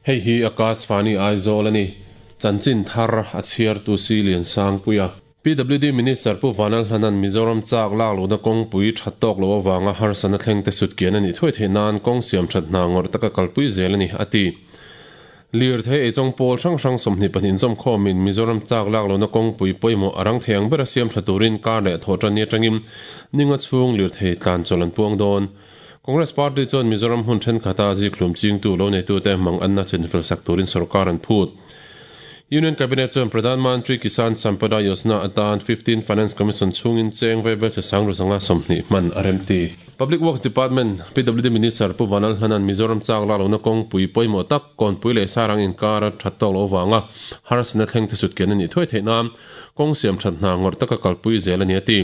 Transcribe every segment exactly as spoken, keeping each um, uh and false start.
Hei hi Akashvani Aizawl ani chanchin thar a chhiar tu si lian sang puia P W D Minister Pu Vanal Hlanan Mizoram chak lak luna kawng pui that tawk lo awanga harsana thleng te sut kian ani thuai thei nan kawng siam that hna ngawr taka kalpui zel ani ati lir thei ei pawl hrang hrang sawmhnih pahnih zawm khawmin Mizoram chak lak luna kawng pui pawimawh arang theiang bera siam tha turin kar leh thaw tan ni atangin ninga chhung lir thei tlan chawl an puang dawn. Congress Party chuan Mizoram hun then khata zi thlum ching tu lo nei tu te mang anna chinfel sak turin sarkar an phut. Union Cabinet chuan Pradhan Mantri Kisan Sampada Yojana atan fifteen Finance Commission chungin cheng veibel se sangru sanga sawmhnih hman a remti. Public Works Department P W D Minister Pu Vanal Hlanan Mizoram chak la lona kawng pui pawimawh tak kawn pui leh sarang inkar a that tawk lo wanga harsana thleng te sut kian ani thuai theih nan kawng siam that hna ngawr taka kalpui zel ani ati.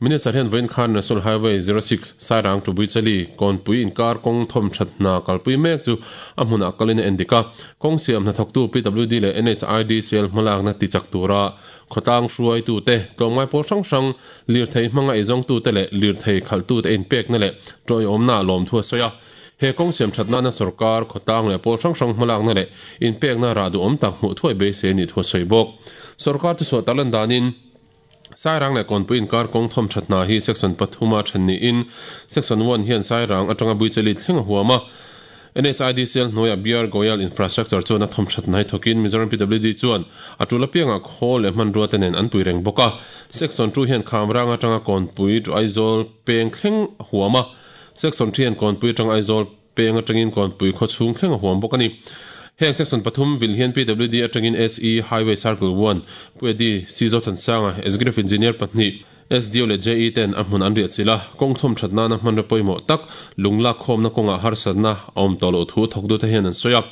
Minister hian vawiin khan National Highway zero six Sairang to Buichali kawn pui inkar kawng thawm that hna kalpui mek chu a hmunah kalin a endika kawng siam hna thawktu P W D leh N H I D C L hmalak na ti chak tura khawtlang hruai tu te tlawmngai pawl hrang hrang lir thei hmanga ei zawng tu te leh lir thei khalh tu te in pek na leh tawi awmna lawm thu a sawi a he kawng siam that nana sarkar khawtlang leh pawl hrang hrang hmalak na leh in pek na ra du awm tak hmuh thuai beisei ni thu a sawi bawk. Sarkar chu saw talan danin Sairang leh kawnpui inkar kawng thawm that hna hi section pathuma then ni in section one hian Sairang atanga Buichali thleng a huam a N H I D C L hnuaia B R Goyal Infrastructure chuan a thawm that hnai thawkin Mizoram P W D chuan a tul apianga khawl leh hmanrua te nen an pui reng bawk a. Section two hian Khamrang atanga kawnpui to Aizawl peng thleng a huam a. Section three hian kawnpui atanga Aizawl peng atangin kawnpui khaw chhung thleng a huam bawk ani. Heng section pathum vil hian P W D atangin S E Highway Circle one Puedi C Zothansanga Executive Engineer pahnih S D O leh J E ten a hmun an riah chila kawng thawm that nana hmanra pawimawh tak lungla khawmna kawnga harsatna a awm tawh loh thu thawk du te hian an sawi a.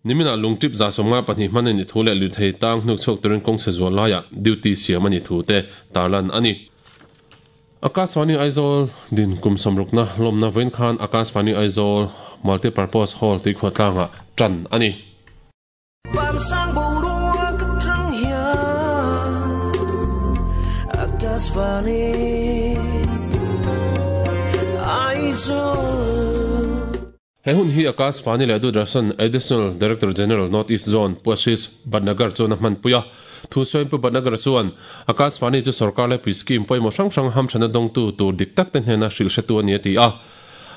Nimina lungtip za sawmnga pahnih hman ani thu leh lir thei tang hnuk chhuak turin kawng chhe zual laiah duty siam ani thu te tarlan ani. Akashvani Aizawl din kum sawmrukna lawmna vawiin khan Akashvani Aizawl Multipurpose Hall tui khuatlanga tan ani. Van sang boruak atang hian Akashvani Aizawl. He hun hi Akashvani leh Doordarshan Additional Director General North East Zone Pu Ashish Bhatnagar chuan a hman pui a. Thu sawiin Pu Bhatnagar chuan Akashvani chu sarkar leh pui scheme pawimawh hrang hrang hamthana dawngtu tur dik tak te hnena hrilh hretu ani a ti a.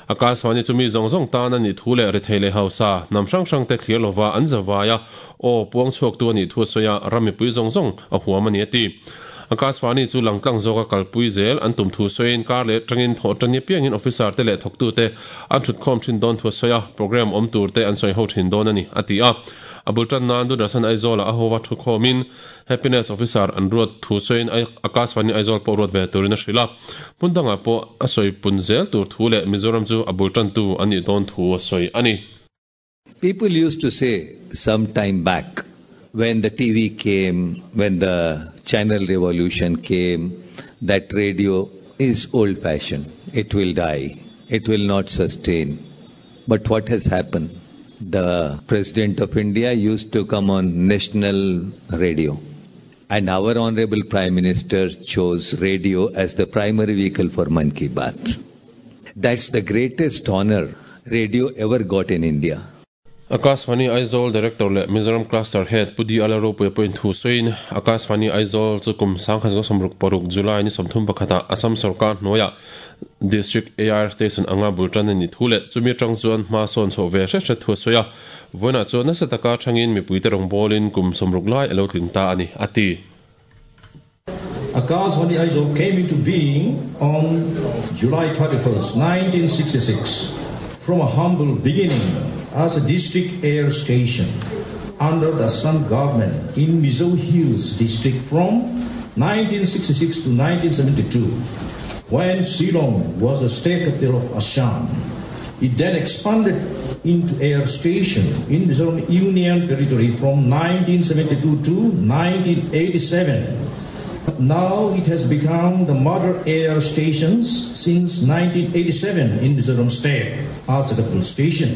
Akashvani chu mi zawng zawng tan ani thu leh rethei leh hausa nam hrang hrang te thlir lova an zawaia aw puang chhuak tu ani thu a sawi a rami pui zawng zawng a huam ani a ti. Akashvani chu langtlang zawka kalpui zel an tum thu sawiin kar leh tangin thaw tani piangin officer te leh thawktu te an thut khawm thin dawn thu a sawi a program awm tur te an sawi ho thin dawn ani a ti a. Abul tan nan Doordarshan Aizawl a howa thu khawmin happiness officer an ruat thu sawiin Akashvani Aizawl pawh ruat ve turin a hrilh a. Hmundangah pawh a sawi pun zel tur thu leh Mizoram chu abul tan tu ani dawn thu a sawi ani. People used to say some time back when the T V came, when the channel revolution came, that radio is old-fashioned. It will die. It will not sustain. But what has happened? The President of India used to come on national radio. And our Honorable Prime Minister chose radio as the primary vehicle for Mann Ki Baat. That's the greatest honor radio ever got in India. Akashvani Aizawl Director leh Mizoram Cluster Head Pudi Alaro pui point thu sawiin Akashvani Aizawl chu kum sangkhat zawng sawmruk paruk July ni sawmthum pakhata Assam sarkar hnuaia District A R Station anga bultan ani thu leh chumi atang chuan hma sawn chho ve hre hre thu a sawi a. Vawiinah chuan nasa taka thangin mipui te rawng bawlin kum sawmruk lai alo tling ta ani ati. Akashvani Aizawl came into being on July thirty-first, nineteen sixty-six, from a humble beginning as a district air station under the Assam government in Mizo Hills district from nineteen sixty-six to nineteen seventy-two, when Shillong was the state capital of Assam. It then expanded into air station in Mizoram Union Territory from nineteen seventy-two to nineteen eighty-seven. Now it has become the mother air stations since nineteen eighty-seven in Mizoram state as a capital station.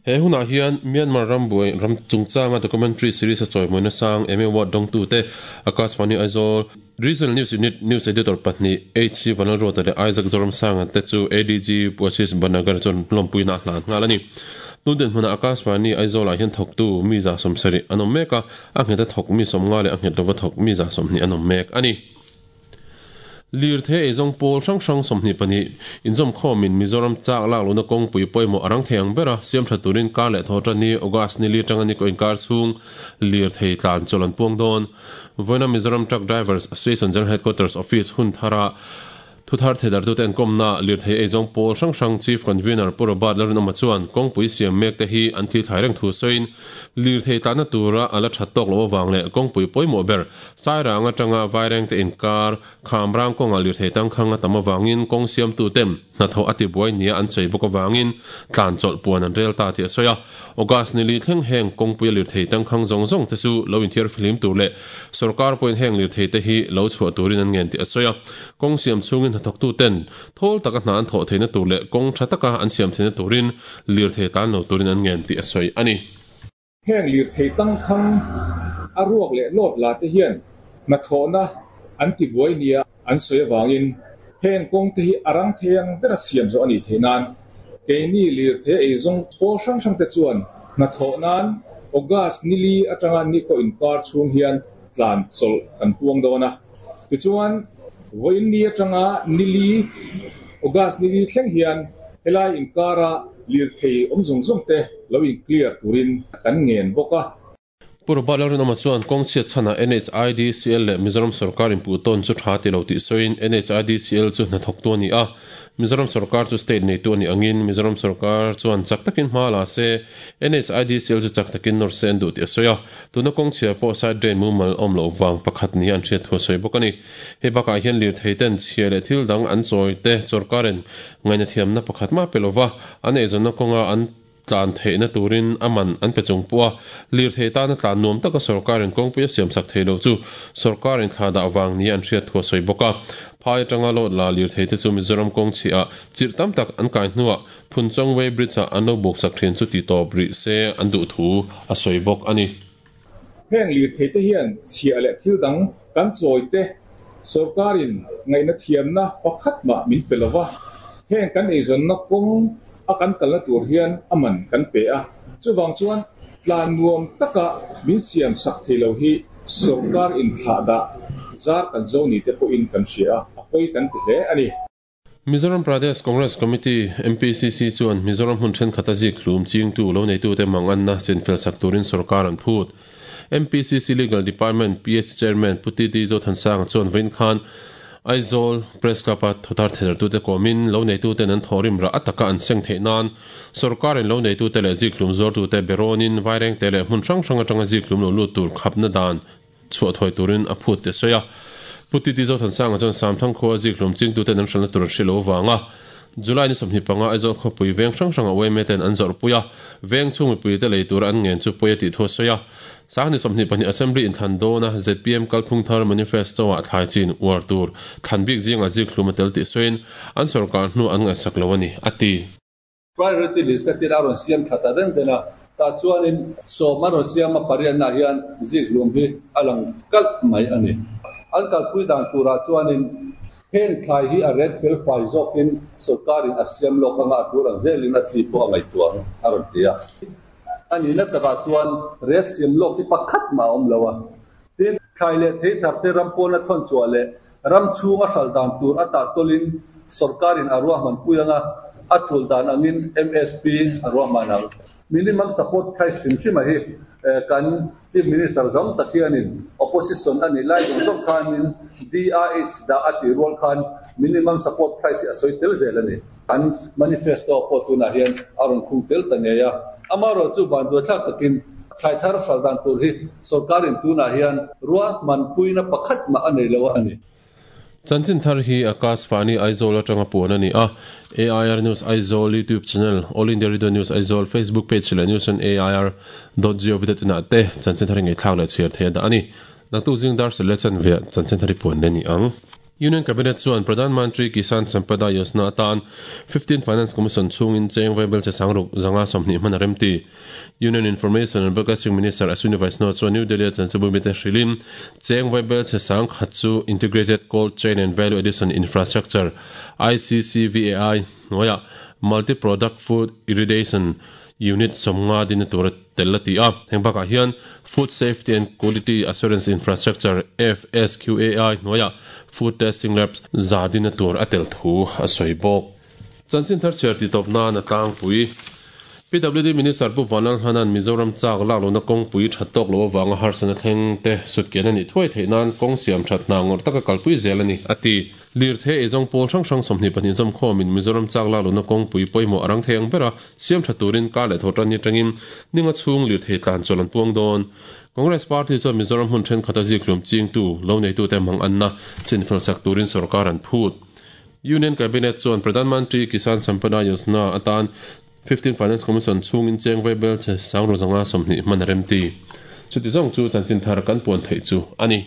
He hunah hian Myanmar ram buai ram chungchanga documentary series a chawimawina sang Emmy Award dawngtu te Akashvani Aizawl Regional News Unit News Editor pahnih H C Vanlalruata leh Isaac Zoramsanga te chu A D G Ashish Bhatnagar chuan lawmpuina a hlan nghal a ni. Tun dinhmunah Akashvani Aizawl ah hian thawktu mi za sawmsarih an awm mek a, a nghet a thawk mi sawmnga leh a nghet lova thawk mi za sawmhnih an awm mek a ni. Lirthei eizawng pawl hrang hrang sawmhnih pahnih inzawm khawmin Mizoram chak lak lohna kawngpui pawimawh a rang thei ang bera siam tha turin kar leh thaw tan ni August ni li atanga ni ko inkar chhung lirthei tlan chawlh an puang dawn. Vawiina Mizoram Truck Drivers Association General Headquarters Office hun thara thuthar theidartute an kawmna lirthei eizawng pawl hrang hrang Chief Convener Pu Robert Lalrinawma chuan kawngpui siam mek te hi an thil thlai reng thu sawiin lirthei tlanna tura a la that tawk loh avang leh kawngpui pawimawh ber Sairang atanga Vairengte inkar Khamrang kawnga lirthei tangkhang a tam avangin kawng siamtu ten hnathawh a tibuai nia an sawi bawk avangin tlan chawlh puan an rel ta tih a sawi a. August ni li thleng heng kawngpui a lirthei tangkhang zawng zawng te chu lo inthiar fihlim tur leh sorkar pawhin heng lirthei te hi lo chhuah turin an ngen tih a sawi a. Kawng siam chhungin hnathawktu ten thawl taka hna an thawh theihna tur leh kawng tha taka an siam theihna turin lirthei tlan lo turin an ngen tih a sawi a ni. Heng lirthei tangkhang a ruak leh lawt la te hian hnathawhna an tibuai nia an sawi awangin heng kawng te hi a rang thei ang bera siam zawh a nih theih nan keini lirthei eizawng pawl hrang hrang te chuan hnathawh nan August ni li atanga ni ko inkar chhung hian tlan chawlh kan puang dawn a. Tichuan vawiin ni atanga ni li August ni li thleng hian helai inkara lirthei awm zawng zawng te lo in clear turin kan ngen bawk a. Pu Robert Lalrinawma chuan kawng chhiat chhanah N H I D C L leh Mizoram sorkar inpuh tawn chu tha ti lo tih sawiin N H I D C L chu hnathawktu a ni a, Mizoram sorkar chu state neitu a nih angin Mizoram sorkar chuan chak takin hma la se, N H I D C L chu chak takin nawr se an duh tih a sawi a. Tuna kawng chhia pawh side drain mumal awm loh wang pakhat ni an hriat thu a sawi bawk a ni. Hei bakah hian lirthei ten chhia leh thil dang an chawi te sorkarin ngaihna thiamna pakhat ma pe lova an eizawnna kawnga an tlan theihna turin aman an pe chung pawha lirthei tana tlan nuam taka sorkarin kawngpui a siam sak thei lo chu sorkarin thla dah wang ni an hriat thu a sawi bawk a. Phai atanga lawt la lirthei te chu Mizoram kawng chhiah chirh tam tak an kai hnuah Phunchawng Way Bridge ah an lo buk sak thin chu ti tawp rih se an duh thu a sawi bawk a ni. Heng lirthei te hian chhia leh thil dang kan chawi te sorkarin ngaihna thiamna pakhat mah min pe lova heng kan eizawnna kawng a kan kalna tur hian aman kan pe a chuwang chuan tlan nuam taka min siam sak thei lo hi sorkar in thla dah zar kan zo ni te pawhin kan hria a a pawi kan ti hle a ni. Mizoram Pradesh Congress Committee M P C C chuan Mizoram hun thenkhat a zik hlum chingtu lo neitu te manganna chinfel sak turin sorkar an phut. M P C C Legal Department P S Chairman Puti T Zothansanga chuan vawiin khan Aizawl Press Club a thuthar theidartu te kawmin lo neitu ten an thawrim rah ataka an seng theih nan sorkarin lo neitu te leh zik hlum zawrtu te berawnin vaireng te leh hmun hrang hrang atanga zik hlum lo lut tur khapna dan chhuah thawi turin a phut te sawi a. Puti T Zothansanga chuan Samthang khuwa zik hlum chingtu ten an hranna tur an hre lo wanga July ni sawmhnih panga Aizawl khawpui veng hrang hranga U M A ten an zawrh pui a veng chhung mipui te lei tur an ngen chu pawi a tih thu a sawi a. Sangni sawmhnih pahnih Assembly inthlan dawna Z P M kalphung thar manifesto ah thlai chin uar tur thlan bik zinga zik hlum a tel tih sawiin an sorkar hnu an ngaihsak lo a ni a ti. Priority list ka tir a rawn siam thata den dena ta chuanin sawm a rawn siam a pariatna hian zik hlum hi a lang kalh mai a ni. An kalpui dan turah chuanin heng thlai hi a ret fel fai zawkin sorkarin a siam lawk anga a tur ang zelin a chi pawh a ngaihtuang a rawn ti a. Ani na takah chuan ret siam lawk hi pakhat ma a awm lo a. Tin thlai leh thei thar te ram pawna thawn chhuah leh ram chhung a hral dan tur a tah tawlin sorkarin a ruahman pui anga a tul dan angin M S P a ruahman ang. Minimum support price hrim hrima hi kan Chief Minister zam tak hianin opposition ani lai zawng zawng khanin D R H dah a ti rual khan minimum support price hi a sawi tel zel ani. An manifesto pawh tunah hian a rawn khung tel ta ngei a. Ama ro chu ban duai thlak takin thlai thar hral dan tur hi sorkarin tunah hian ruahman puina pakhat mah a nei lo a ni. Chanchin thar hi Akashvani Aizawl atanga puan ani a. A I R News Aizawl YouTube channel, All India Radio News Aizawl Facebook page leh news on A I R dot gov dot in ah te chanchin thar nge thlak leh chhiar thei da ani. Naktuk zing dar sele chan ve chanchin thar hi puan le ni ang. Union Cabinet chuan Pradhan Mantri Kisan Sampada Yojana atan fifteen Finance Commission chungin cheng vaibel che sangruk zanga somni hman remti. Union Information and Broadcasting Minister Ashwini Vaishnaw chuan New Delhi chanchabu mite hrilin cheng vaibel che sang khat chu Integrated Cold Chain and Value Addition Infrastructure I C C V A I noya Multi-Product Food Irrigation Unit somnga din tur tellati a hengbaka hian Food Safety and Quality Assurance Infrastructure F S Q A I noya Food Testing Labs zadin tur atel thu a soibok chanchin thar cherti topna na tlang pui P W D Minister Pu Vanal Hanan Mizoram chak lak lo na kong pui thatok lo wanga harsana thleng te sutken ani thoi theinan kong siam that na ngor taka kalpui zelani ati lir the ezong pol sang sang somni pani jom khomin Mizoram chak lak lo na kong pui poimo arang theng bera siam thaturin ka le thotan ni tangin ninga chung lir the tlan cholan puang don Congress Party chu Mizoram hun then khata ziklum ching tu lo nei tu te mang anna chinfel sak turin sarkar an phut Union Cabinet chuan Pradhan Mantri Kisan Sampada Yojana atan fifteen Finance Commission chungin cheng vaibel che sangro zanga somni man remti chuti zong chu chanchin thar kan puan thei chu ani.